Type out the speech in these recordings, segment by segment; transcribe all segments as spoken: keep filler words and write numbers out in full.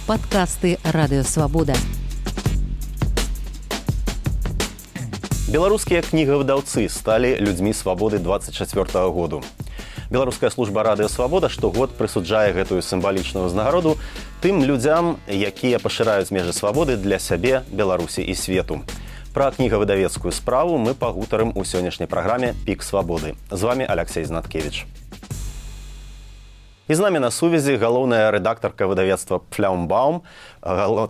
Падкасты Радыёвабода. Беларускія кнігавыдаўцы сталі людзьмі свабоды двадцать чацвёртага году. Беларуская служба Радыёвабода штогод прысуджае гэтую сімвалічную ўзнагароду тым людзям, якія пашыраюць межы свабоды для сябе, Беларусі і свету. Пра кнігавыдавецкую справу мы пагутарым у сённяшняй праграме «Пік свабоды». З вами Алексей Знаткевич. І з намі на сувязі галоўная рэдактарка выдавецтва «Фляумбаум»,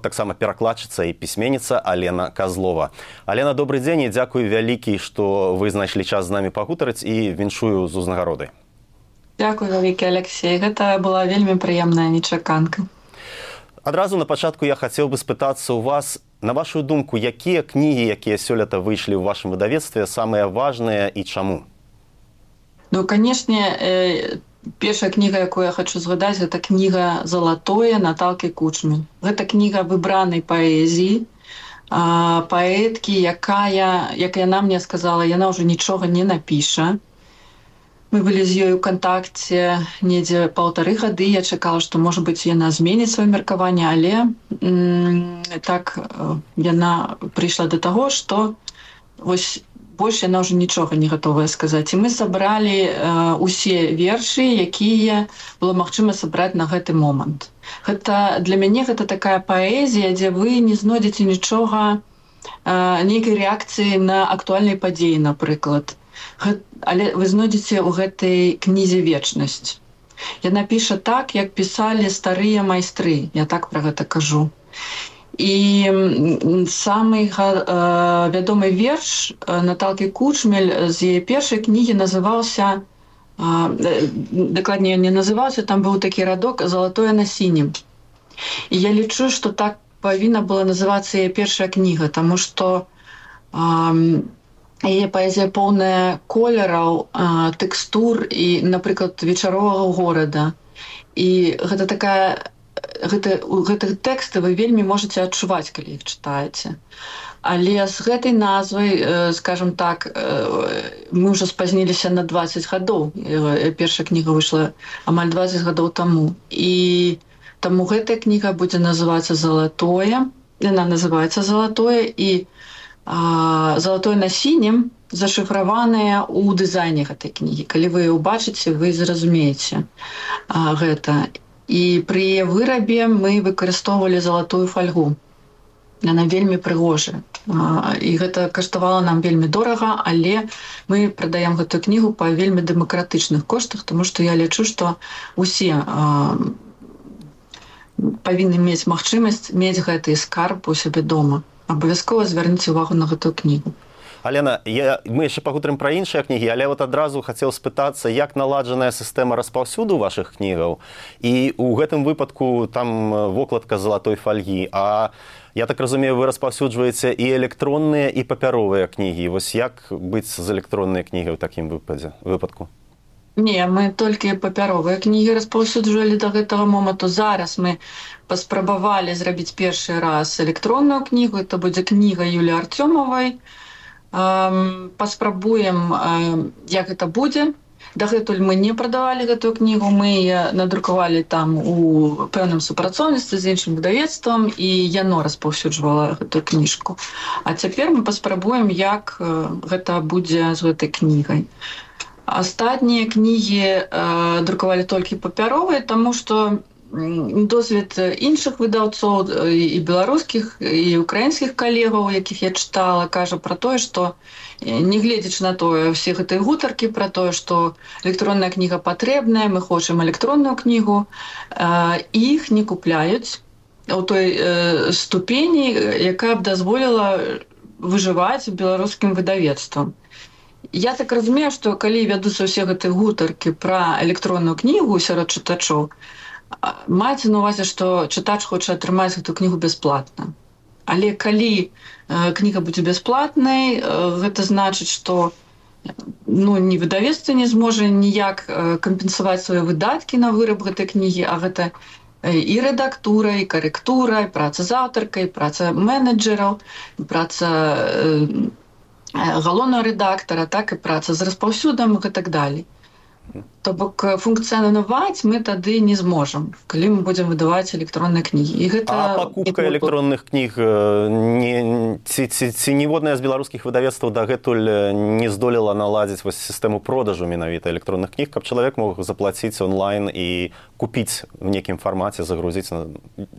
таксама перакладчыца і пісьменніца Алена Козлова. Алена, добрый дзень і дзякуй вялікі, што вы знайшлі час з намі пагутарыць і віншую з узнагародай. Дзякуй вялікі, Алексей. Гэта была вельмі прыемная нечаканка. Адразу на пачатку я хацеў бы спытацца ў вас, на вашу думку, якія кнігі, якія сёлета выйшлі ў вашым выдавецтве, самыя важныя і чаму? Ну, канешне, э... першая кніга, якую я хочу згадаць, гэта кніга «Залатое» Наталкі Кучмы. Гэта кніга выбранай паэзіі, паэткі, якая, як яна мне сказала, яна ўжо нічога не напіша. Мы былі з ёй у кантакце недзе паўтары гады. Я чакала, што, можа быць, яна зменіць сваё меркаванне, але м- так яна прыйшла да таго, што вось больш яна ўжо нічога не гатовая сказаць. І мы сабралі э, усе вершы, якія было магчыма сабраць на гэты момант. Гэта, для мяне гэта такая паэзія, дзе вы не знойдзеце нічога, э, нейкай рэакцыі на актуальныя падзеі, напрыклад. Гэт, але вы знойдзеце ў гэтай кнізе вечнасць. Яна піша так, як пісалі старыя майстры. Я так пра гэта кажу. І самы э, вядомы верш Наталкі Кучмель з яе першай кнігі называўся, э, дакладней не называўся, там быў такі радок «Залатое на сінім». І я лічу, што так павінна была называцца яе першая кніга, таму што э, яе паэзія поўная колераў, э, тэкстур і, напрыклад, вечаровага горада. І гэта такая Гэта, гэтых тэксты вы вельмі можаце адчуваць, калі іх чытаеце. Але з гэтай назвай, скажем так, мы ўжо спазніліся на двадцать гадоў. Першая кніга выйшла амаль двадцать гадоў таму. І таму гэтая кніга будзе называцца «Залатое». Яна называецца «Залатое», і а, «Залатое на сінім» зашыфраваная ў дызайне гэтай кнігі. Калі вы яе ўбачыце, вы зразумееце а, гэта. І пры яе вырабе мы выкарыстоўвалі залатую фальгу. Яна вельмі прыгожая. І гэта каштавала нам вельмі дорага, але мы прадаем гэтую кнігу па вельмі дэмакратычных коштах, тому што я лічу, што усе а, павінны мець магчымасць мець гэты скарб у сябе дома. Абавязкова звярніце ўвагу на гэтую кнігу. Алена, я, мы яшчэ пагутарым пра іншыя кнігі, але вот адразу хацеў спытацца, як наладжаная сістэма распаўсюду вашых кнігаў. І ў гэтым выпадку там вокладка залатой фальгі. А я так разумею, вы распаўсюджваеце і электронныя, і папяровыя кнігі. Вось як быць з электроннай кнігай у такім выпадку? Не, мы толькі папяровыя кнігі распаўсюджвалі да гэтага моманту. Зараз мы паспрабавалі зрабіць першы раз электронную кнігу. Это будзе кніга Юліі Артёмавай. Паспрабуем, як гэта будзе. Дагэтуль мы не прадавалі гэтую кнігу, мы надрукавалі там у пэўным супрацоўніцтве з іншым выдавецтвам, і яно распаўсюджвала гэтую кніжку. А цяпер мы паспрабуем, як гэта будзе з гэтай кнігай. Астатнія кнігі друкавалі толькі папяровыя, таму што досвед іншых выдаўцоў і беларускіх, і украінскіх калегаў, якіх я чытала, кажа пра тое, што нягледзячы на тое, ўсе гэтыя гутаркі пра тое, што электронная кніга патрэбная, мы хочам электронную кнігу, іх не купляюць у той ступені, якая б дазволіла выжываць беларускім выдавецтвам. Я так разумею, што калі вядуцца ўсе гэтыя гутаркі пра электронную кнігу сярод чытачоў, маецца на увазе, што чытач хоча атрымаць гэту кнігу бясплатна. Але калі э, кніга будзе бясплатнай, э, гэта значыць, што ну, ні выдавецтва не зможа ніяк э, кампенсаваць свае выдаткі на выраб гэтай кнігі, а гэта э, і рэдактура, і карэктура, і праца з аўтаркай, і праца менеджераў, і праца э, галоўнага рэдактара, так і праца з распаўсюдам і так далей. То бок функцыянаваць мы тады не зможам, калі мы будзем выдаваць электронныя кнігі. І гэта а пакупка электронных кніг не, ці, ці, ці ніводная з беларускіх выдавецтваў дагэтуль не здолела наладзіць вось сістэму продажу менавіта электронных кніг, каб чалавек мог заплаціць онлайн і купіць в нейкім фармаце, загрузіць,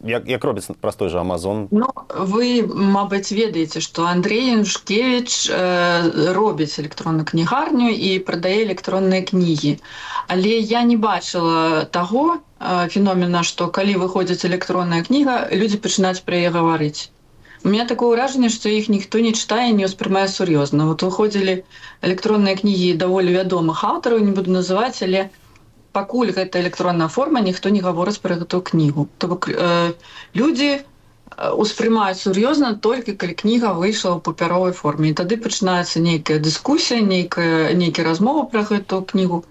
як, як робіць простой же Amazon. Ну, вы, мабыць, ведаеце, што Андрей Янушкевич э, робіць электронную кнігарню і прадае электронныя кнігі. Але я не бачыла таго э, феномена, што калі выходзіць электронная кніга, людзі пачынаюць пра яе гаварыць. У меня такое ўражанне, што іх ніхто не чытае, не ўспрымае сур'ёзна. Вот выходзілі электронныя кнігі даволі вядомых аўтараў, не буду называць, але пакуль гэта электронная форма, ніхто не гаворыць пра гэтую кнігу. То бок э, людзі успрымаюць сур'ёзна толькі калі кніга выйшла ў папяровай форме. І тады пачынаецца нейкая дыскусія, нейкая, нейкая размова пра гэтую кнігу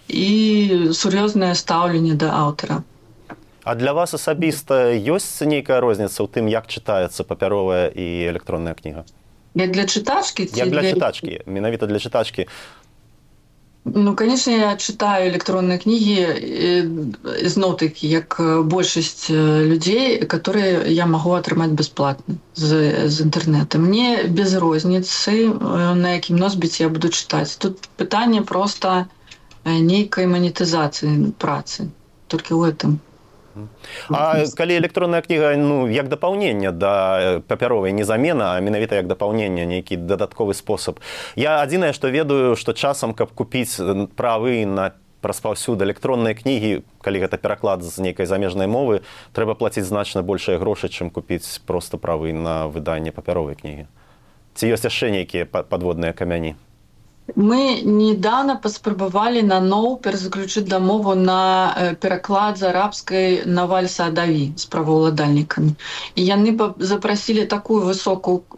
і сур'ёзнае стаўленне да аўтара. А для вас асабіста ёсць нейкая розніца ў тым, як чытаецца папяровая і электронная кніга? Як для чытачкі? Як для чытачкі, менавіта для чытачкі. Ну, конечно, я читаю электронные книги, зноў-таки, як большасць людзей, которые я могу атрымаць бесплатно з, з інтэрнэта. Мне без розніцы, на якім носьбіце я буду чытаць. Тут пытанне просто нейкай манетызацыі працы. Толькі ў гэтым. А калі электронная кніга, ну, як дапаўненне да папяровай, не замена, а менавіта як дапаўненне, нейкі дадатковы спосаб. Я адзінае, што ведаю, што часам, каб купіць правы на распаўсюд электронныя кнігі, калі гэта пераклад з нейкай замежнай мовы, трэба плаціць значна большыя грошы, чым купіць проста правы на выданне папяровай кнігі. Ці ёсць яшчэ нейкія падводныя камяні? Мы недавно паспрабавалі наноў перазаключыць дамову на пераклад з арабскай Наваль Саадави з праваўладальнікамі. І яны запрасілі такую высокую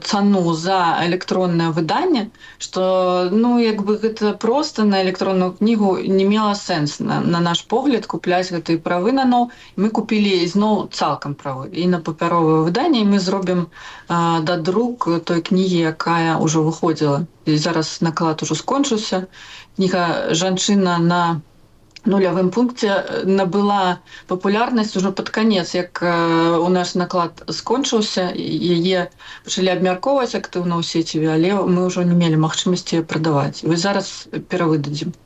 цану за электроннае выданне, што, ну, як бы гэта проста на электронную кнігу не мела сэнс, на, на наш погляд, купляць гэтыя правы наноў. Мы купілі зноў цалкам правы і на папяровае выданне, і мы зробім а, дадрук той кнігі, якая ўжо выходзіла. І зараз наклад ужо скончыўся. Кніга «Жанчына на нулявым пункце» набыла папулярнасць ужо пад канец, як у наш наклад скончыўся, яе пачалі абмяркоўваць актыўна ў сеціве, але мы ўжо не мелі магчымасці прадаваць. І зараз перавыдадзім.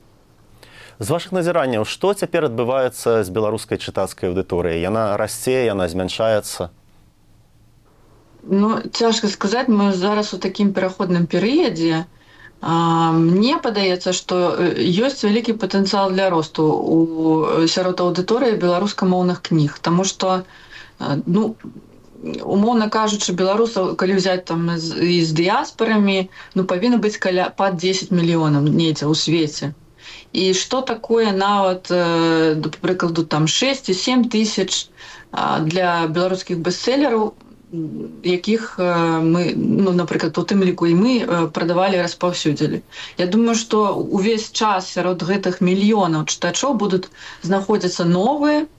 З вашых назіранняў, што цяпер адбываецца з беларускай чытацкай аўдыторыяй? Яна расце, яна змяншаецца? Ну, цяжка сказаць, мы зараз у такім пераходным перыядзе. Мне падаецца, што ёсць вялікі патэнцыял для росту у сярод аўдыторыі беларускамоўных кніг, таму што, ну, умоўна кажучы, беларусаў, калі взять там з, з дыяспарамі, ну, павінна быць каля пад дзесяць мільёнаў недзе ў свеце. І што такое нават, да прыкладу, там шэсць ці сем тысяч для беларускіх бестселераў, якіх мы, ну, напрыклад, у тым ліку і мы прадавалі, распаўсюдзілі. Я думаю, што увесь час сярод гэтых мільёнаў чытачоў будуць знаходзіцца новыя,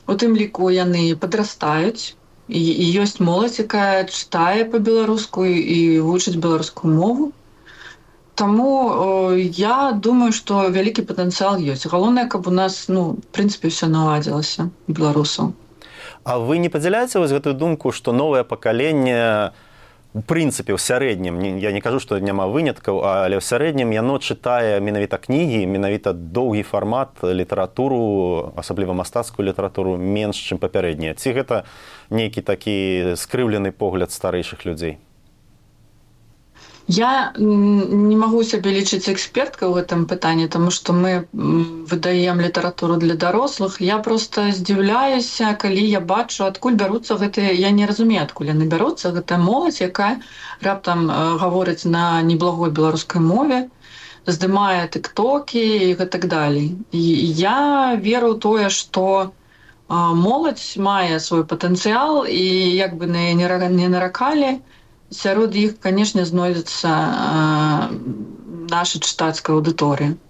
у тым ліку яны падрастаюць, і, і ёсць моладзь, якая чытае па-беларуску і вучыць беларускую мову. Таму я думаю, што вялікі патэнцыял ёсць. Галоўнае, каб у нас, ну, в прынцыпе, ўсё наладзілася, беларусаў. А вы не падзяляеце вось гэтую думку, што новае пакаленне, у прынцыпе, ў сярэднім, я не кажу, што няма выняткаў, але ў сярэднім яно чытае менавіта кнігі, менавіта доўгі фармат, літаратуру, асабліва мастацкую літаратуру, менш, чым папярэднія? Ці гэта нейкі такі скрыўлены погляд старэйшых людзей? Я не магу сябе лічыць эксперткай у гэтым пытанні, таму што мы выдаем літаратуру для дарослых. Я проста здзіўляюся, калі я бачу, адкуль бяруцца гэтыя, я не разумею, адкуль яны бяруцца, гэтая моладзь, якая раптам гаворыць на неблагой беларускай мове, здымае тыктокі і гэтак далей. І я веру ў тое, што моладзь мае свой патэнцыял, і як бы на яе не наракалі, сярод іх, канешне, знойдзецца наша чытацкая аўдыторыя.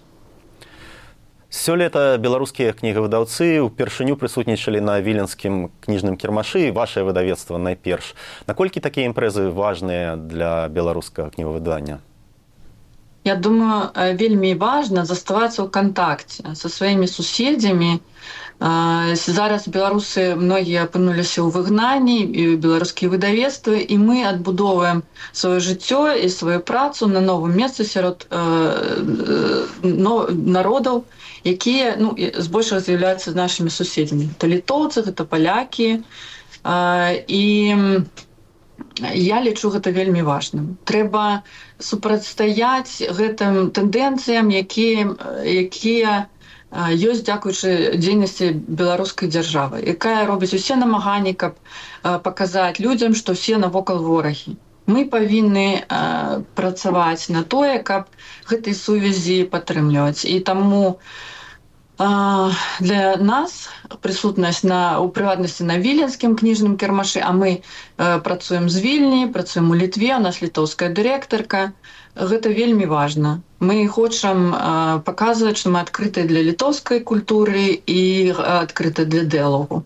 Сёлета беларускія кнігавыдаўцы ўпершыню прысутнічалі на віленскім кніжным кірмашы, вашае выдавецтва найперш. Наколькі такія імпрэзы важныя для беларускага кнігавыдання? Я думаю, вельмі важна заставацца ў кантакце са сваімі суседзямі. Зараз беларусы многія апынуліся ў выгнанні, і беларускія выдавецтвы, і мы адбудоўваем сваё жыццё і сваю працу на новым месцы сярод народаў, якія ну, збольшага з'яўляюцца нашымі суседзямі. Гэта літоўцы, гэта палякі. І я лічу гэта вельмі важным. Трэба супрацьстаяць гэтым тэндэнцыям, якія, якія ёсць дзякуючы дзейнасці беларускай дзяржавы, якая робіць усе намаганні, каб паказаць людзям, што ўсе навокал ворагі. Мы павінны працаваць на тое, каб гэтай сувязі падтрымліваць. І таму для нас прысутнасць на, у прыватнасці на віленскім кніжным кірмашы, а мы працуем з Вільні, працуем у Літве, у нас літоўская дырэктарка, гэта вельмі важна. Мы хочам паказваць, што мы адкрытыя для літоўскай культуры і адкрытыя для дыялогу.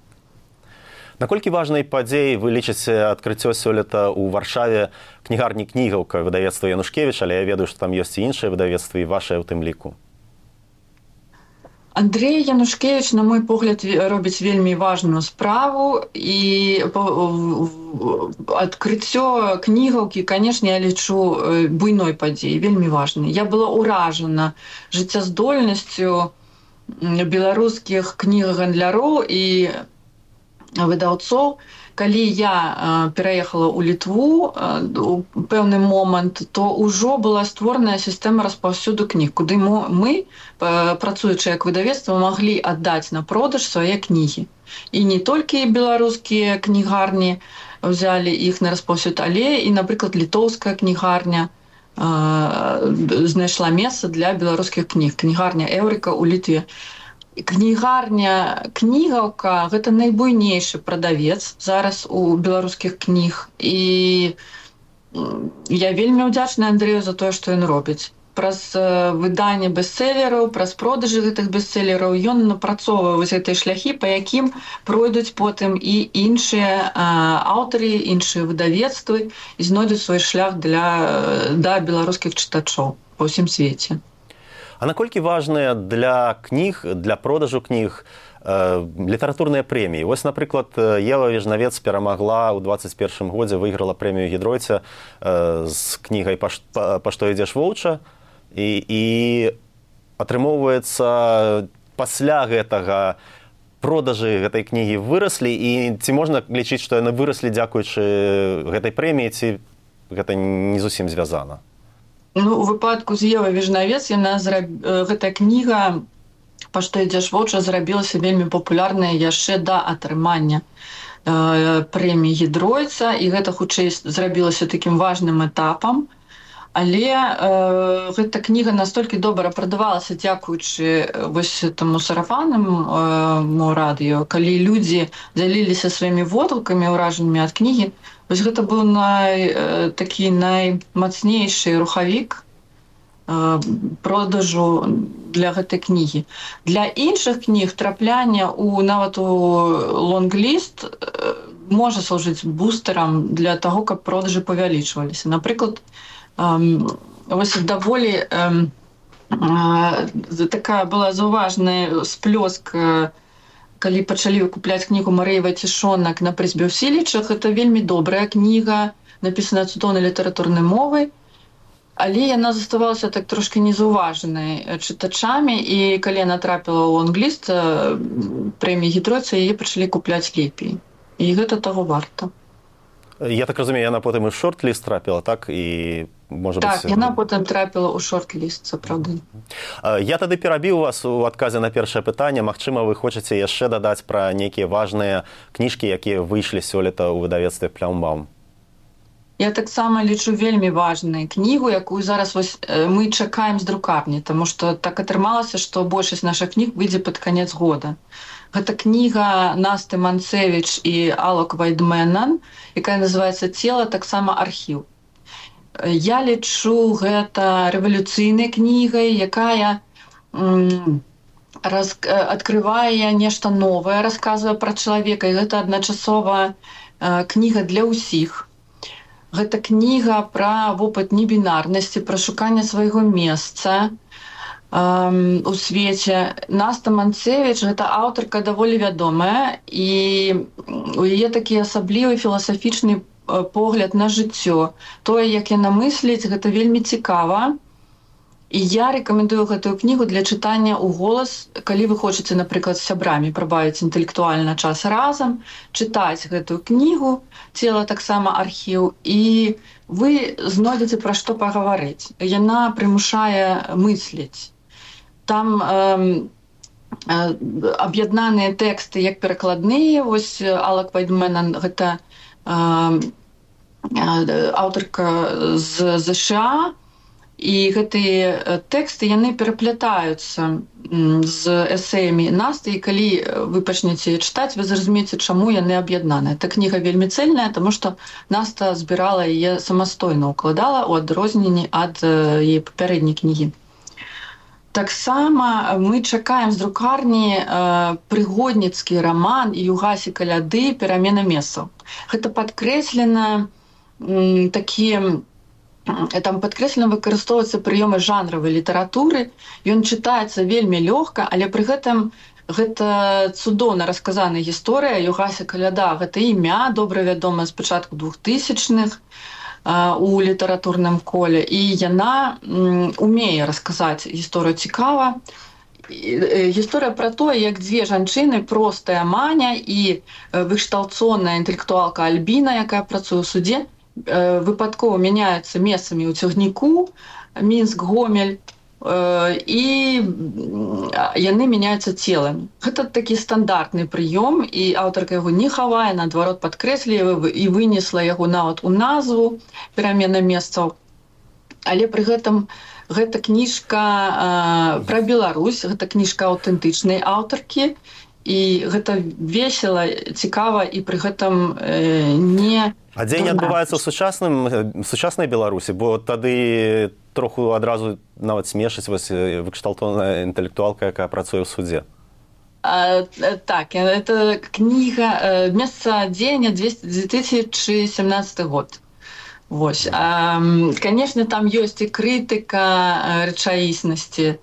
Наколькі важнай падзеяй вы лічыце адкрыццё сёлета ў Варшаве кнігарні «Кнігаўка» выдавецтва Янушкевіч, але я ведаю, што там ёсць і іншыя выдавецтвы, і вашыя ў тым ліку. Андрей Янушкевич, на мой погляд, робіць вельмі важную справу, і адкрыццё кнігаўкі, канешне, я лічу буйной падзеяй, вельмі важнай. Я была ўражана жыццяздольнасцю беларускіх кнігагандляроў і выдаўцоў. Калі я пераехала ў Літву у пэўны момант, то ўжо была створаная сістэма распаўсюду кніг, куды мы, працуючы як выдавецтва, маглі аддаць на продаж свае кнігі. І не толькі беларускія кнігарні взялі іх на распаўсюд, але і, напрыклад, літоўская кнігарня знайшла месца для беларускіх кніг. Кнігарня «Эўрыка» ў Літве. Кнігарня «Кнігаўка» – гэта найбуйнейшы прадавец зараз у беларускіх кніг. І я вельмі ўдзячная Андрэю за тое, што ён робіць. Праз выданне бестселераў, праз продажы гэтых бестселераў ён напрацоўвае вось гэтай шляхі, па якім пройдуць потым і іншыя аўтары, іншыя выдавецтвы і знойдуць свой шлях для, да беларускіх чытачоў па ўсім свеце. А наколькі важныя для кніг, для продажу кніг э, літаратурныя прэміі? Вось, напрыклад, Ева Вежнавец перамагла ў дваццаць першым годзе, выйграла прэмію Гідройца э, з кнігай «Па, па што ідзеш воўча», і, і атрымоўваецца пасля гэтага продажы гэтай кнігі выраслі, і ці можна лічыць, што яны выраслі дзякуючы гэтай прэміі, ці гэта не зусім звязана? Ну, у выпадку з Евай Вежнавец яна зраб... гэтая кніга «Па што ідзеш воўча» зрабілася вельмі папулярная яшчэ да атрымання э, прэміі Гідройца, і гэта хутчэй зрабілася такім важным этапам. Але э, гэта кніга настолькі добра прадавалася дзякуючы вось таму сарафаннаму э, радыё, калі людзі дзяліліся сваімі водгукамі, ўражаннямі ад кнігі. Вось гэта быў най, э, такі наймацнейшы рухавік э, продажу для гэтай кнігі. Для іншых кніг трапляне у нават у лонгліст э, можа служыць бустэрам для таго, каб продажы павялічваліся. Напрыклад, э, вось даволі э, э, такая была заўважная сплёск э, калі пачалі купляць кнігу Марыі Вайцішонак на прызбе ў Сілічах, гэта вельмі добрая кніга, напісаная цудоўнай літаратурнай мовай, але яна заставалася так трошки незаўважанай чытачамі, і калі яна трапіла ў лонгліст прэміі Гідройца, яе пачалі купляць лепей. І гэта таго варта. Я так разумею, яна потым і ў шорт-ліст трапіла, так? І, можа так, быць... яна потым трапіла ў шорт-ліст, сапраўды. Я тады перабіў вас у адказе на першае пытанне. Магчыма, вы хочаце яшчэ дадаць пра нейкія важныя кніжкі, якія выйшлі сёлета ў выдавецтве «Плямбаум». Я таксама лічу вельмі важную кнігу, якую зараз вось мы чакаем з друкарні, таму што так атрымалася, што большасць нашых кніг выйдзе пад канец года. Гэта кніга Насты Манцевіч і Алок Вайдменан, якая называецца «Цела, таксама архіў». Я лічу гэта рэвалюцыйнай кнігай, якая м, раз, адкрывае нешта новае, расказвае пра чалавека, і гэта адначасова э, кніга для ўсіх. Гэта кніга пра вопыт небінарнасці, пра шуканне свайго месца эм, у свеце. Наста Манцевіч — гэта аўтарка даволі вядомая, і у яе такі асаблівы філасафічны погляд на жыццё. Тое, як яна мысліць, гэта вельмі цікава. І я рэкамендую гэтую кнігу для чытання ў голас, калі вы хочаце, напрыклад, з сябрамі прабавіць інтэлектуальна час разам, чытаць гэтую кнігу, «Цела таксама архіў», і вы знойдзеце пра што пагаварыць. Яна прымушае мысліць. Там эм, э, аб'яднаныя тэксты як перакладныя. Вось Алла Квайдменан — гэта э, аўтарка з ЗША, і гэтыя тэксты, яны пераплятаюцца з эсэямі Насты, і калі вы пачнеце чытаць, вы зразумееце, чаму яны аб'яднаныя. Эта кніга вельмі цэльная, таму што Наста збірала яе самастойна, укладала ў адрозненні ад яе папярэдняй кнігі. Таксама мы чакаем з друкарні прыгодніцкі раман «Югасі каляды. Перамена месцаў». Гэта падкрэслена такія там падкрэслена выкарыстоўваюцца прыёмы жанравай літаратуры. Ён чытаецца вельмі лёгка, але пры гэтым гэта цудоўна расказаная гісторыя. Югася каляда — гэта імя, добра вядомае з пачатку двухтысячных у літаратурным коле, і яна умее расказаць гісторыю цікава. Гісторыя пра тое, як дзве жанчыны, простая Маня і вышталцоная інтэлектуалка Альбіна, якая працуе ў судзе, выпадкова мяняюцца месцамі ў цягніку Мінск-Гомель, і яны мяняюцца целамі. Гэта такі стандартны прыём, і аўтарка яго не хавае, наадварот падкрэслівае і вынесла яго нават у назву «Перамена месцаў». Але пры гэтым гэта кніжка пра Беларусь, гэта кніжка аўтэнтычнай аўтаркі, і гэта весела, цікава, і пры гэтым не... А дзень адбываецца ў сучасным сучаснай Беларусі, бо тады троху адразу нават смешыць вось выкшталтоўная інтэлектуалка, якая працуе ў судзе. А, так, это кніга, месца дзеяння две тысячи семнадцатый год. Вось. А, конечно, там ёсць і крытыка рэчаіснасці,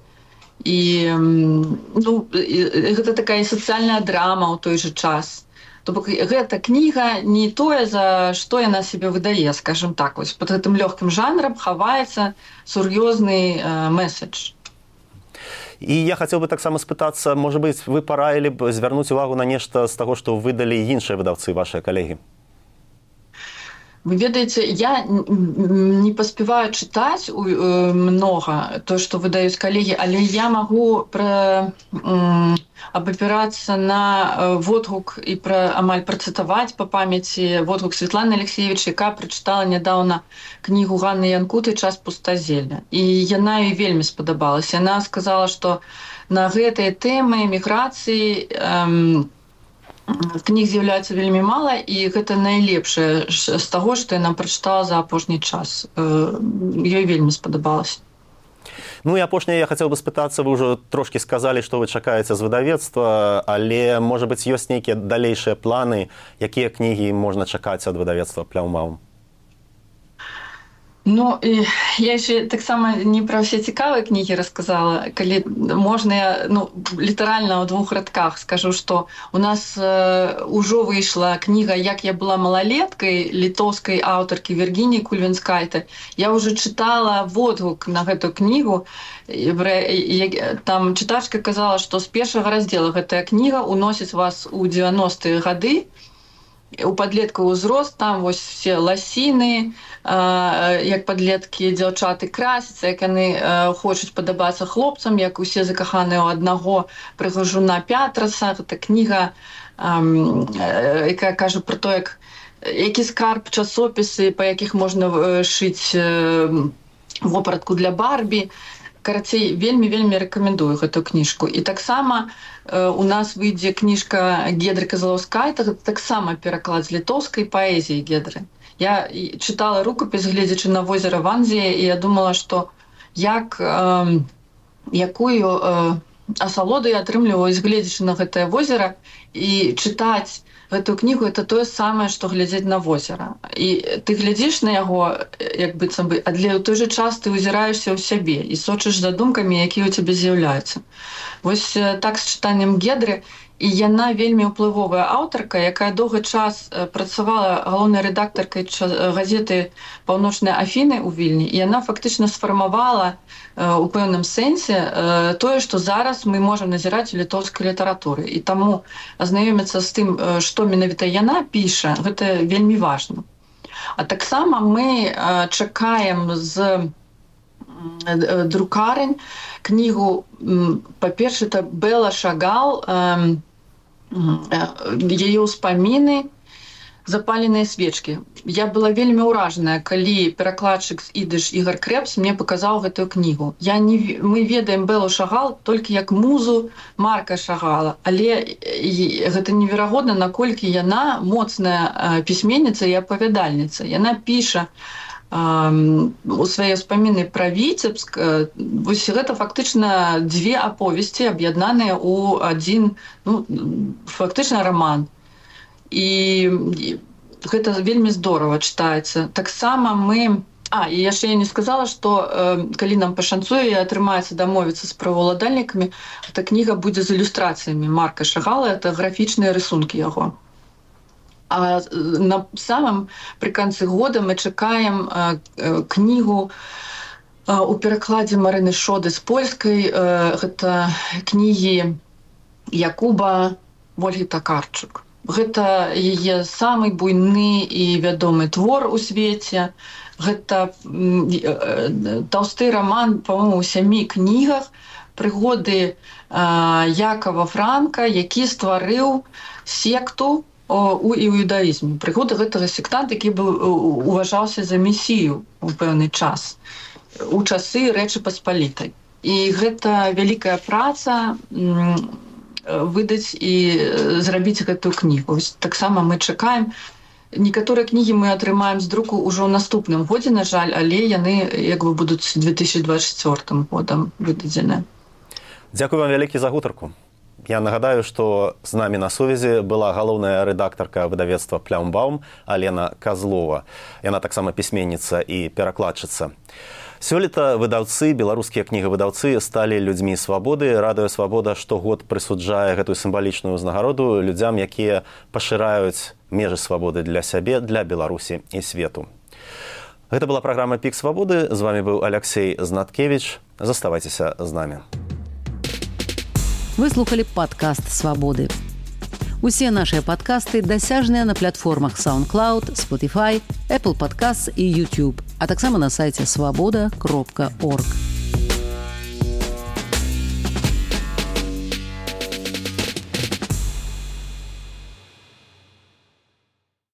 і ну, гэта такая сацыяльная драма ў той жа час. То бок гэта кніга не тое, за што яна сябе выдае, скажем так. Вось пад гэтым лёгкім жанрам хаваецца сур'ёзны э, месседж. І я хацеў бы таксама спытацца, можа быць, вы параілі б звярнуць увагу на нешта з таго, што выдалі іншыя выдаўцы, вашыя калегі? Вы ведаеце, я не паспяваю чытаць многа то, што выдаюць калегі, але я магу пра, абапірацца на водгук і пра, амаль працытаваць па памяці водгук Святланы Алексеевич, якая прачытала нядаўна кнігу Ганны Янкуты «Час пустазелля». І яна ёй вельмі спадабалася. Яна сказала, што на гэтыя тэмы міграцыі эм, кніг з'яўляецца вельмі мала, і гэта найлепшае з таго, што яна прачытала за апошні час. Ёй вельмі спадабалася. Ну і апошняе я хацеў бы спытацца, вы ўжо трошкі сказалі, што вы чакаеце з выдавецтва, але, можа быць, ёсць нейкія далейшыя планы, якія кнігі можна чакаць ад выдавецтва Пляўмаум? Ну, і я ще таксама не пра ўсе цікавыя кнігі расказала. Калі можна, я ну, літаральна ў двух радках скажу, што у нас э, ўжо выйшла кніга «Як я была малалеткай» літоўскай аўтаркі Віргініі Кульвінскайте. Я ўжо чытала водгук на гэту кнігу. Там чытачка казала, што з першага раздзела гэтая кніга уносіць вас у дзевяностыя гады, у падлеткаў узрост, там вось все ласіны, як падлеткі дзяўчаты красяцца, як яны хочуць падабацца хлопцам, як усе закаханыя ў аднаго прыгажуна Пятраса. Гэта кніга, якая кажа пра то, як які скарб часопісы, па якіх можна шыць вопратку для Барбі. Карацей, вельмі-вельмі рэкамендую гэту кніжку. І таксама э, у нас выйдзе кніжка Гедры Казлаўскайте, гэта таксама пераклад з літоўскай паэзіі Гедры. Я чытала рукапіс, гледзячы на возера Ванзія, і я думала, што як, э, якую э, асалоды атрымліваюць, гледзячы на гэтае возера, і чытаць гэтую кнігу это тое самае, што глядзець на возера. І ты глядзіш на яго, як быццам бы, але ў той жа час ты ўзіраешся ў сябе і сочыш за думкамі, якія ў цябе з'яўляюцца. Вось так з чытаннем Гедры. І яна вельмі ўплывовая аўтарка, якая доўгі час працавала галоўнай рэдактаркай газеты «Паўночныя Афіны» ў Вільні, і яна фактычна сфармавала у пэўным сэнсе тое, што зараз мы можам назіраць у літоўскай літаратуры. І таму азнаёміцца з тым, што менавіта яна піша, гэта вельмі важна. А таксама мы чакаем з друкарень кнігу, па-перше, это Бела Шагал, яе ўспаміны «Запаленыя свечкі». Я была вельмі ўражаная, калі перакладчык з ідыш Ігор Крэпс мне паказаў гэтую кнігу. Я не, мы ведаем Белу Шагал толькі як музу Марка Шагала, але гэта неверагодна, наколькі яна моцная пісьменніца і апавядальніца. Яна піша у свае ўспаміны пра Віцебск. Вось гэта фактычна дзве аповесці, аб'яднаныя ў адзін, ну, фактычна раман. І гэта вельмі здорава чытаецца. Таксама мы... А, і яшчэ я не сказала, што калі нам пашанцуе і атрымаецца дамовіцца з праваўладальнікамі, эта кніга будзе з ілюстрацыямі Марка Шагала, это графічныя рысункі яго. А на самом при конце года мы чакаем кнігу у перакладзе Марыны Шоды з польскай. Гэта кнігі Якуба Вольгі Такарчук. Гэта яе самы буйны і вядомы твор у свеце. Гэта таўсты раман, па-моему, у сямі кнігах, прыгоды Якова Франка, які стварыў секту у іудаізме. Прыгоды гэтага сектанта, які быў уважаўся за месію ў пэўны час, у часы Рэчы Паспалітай. І гэта вялікая праца выдаць і зрабіць гэтую кнігу. Таксама мы чакаем. Некаторыя кнігі мы атрымаем з друку ўжо ў наступным годзе, на жаль, але яны як бы будуць две тысячи двадцать четвёртым годам выдадзены. Дзякую вам вялікі за гутарку. Я нагадаю, што з намі на сувязі была галоўная рэдактарка выдавецтва «Плямбаум» Алена Казлова. Яна таксама пісьменніца і перакладчыца. Сёлета выдаўцы, беларускія кнігавыдаўцы сталі людзьмі свабоды. Радыё Свабода штогод прысуджае гэтую сімвалічную ўзнагароду людзям, якія пашыраюць межы свабоды для сябе, для Беларусі і свету. Гэта была праграма «Пік свабоды». З вамі быў Аляксей Знаткевіч. Заставайцеся з намі. Вы слухали падкаст «Свабоды». Усе нашыя падкасты дасяжныя на платформах SoundCloud, Spotify, Apple Podcasts і YouTube, а таксама на сайце свабода кропка орг.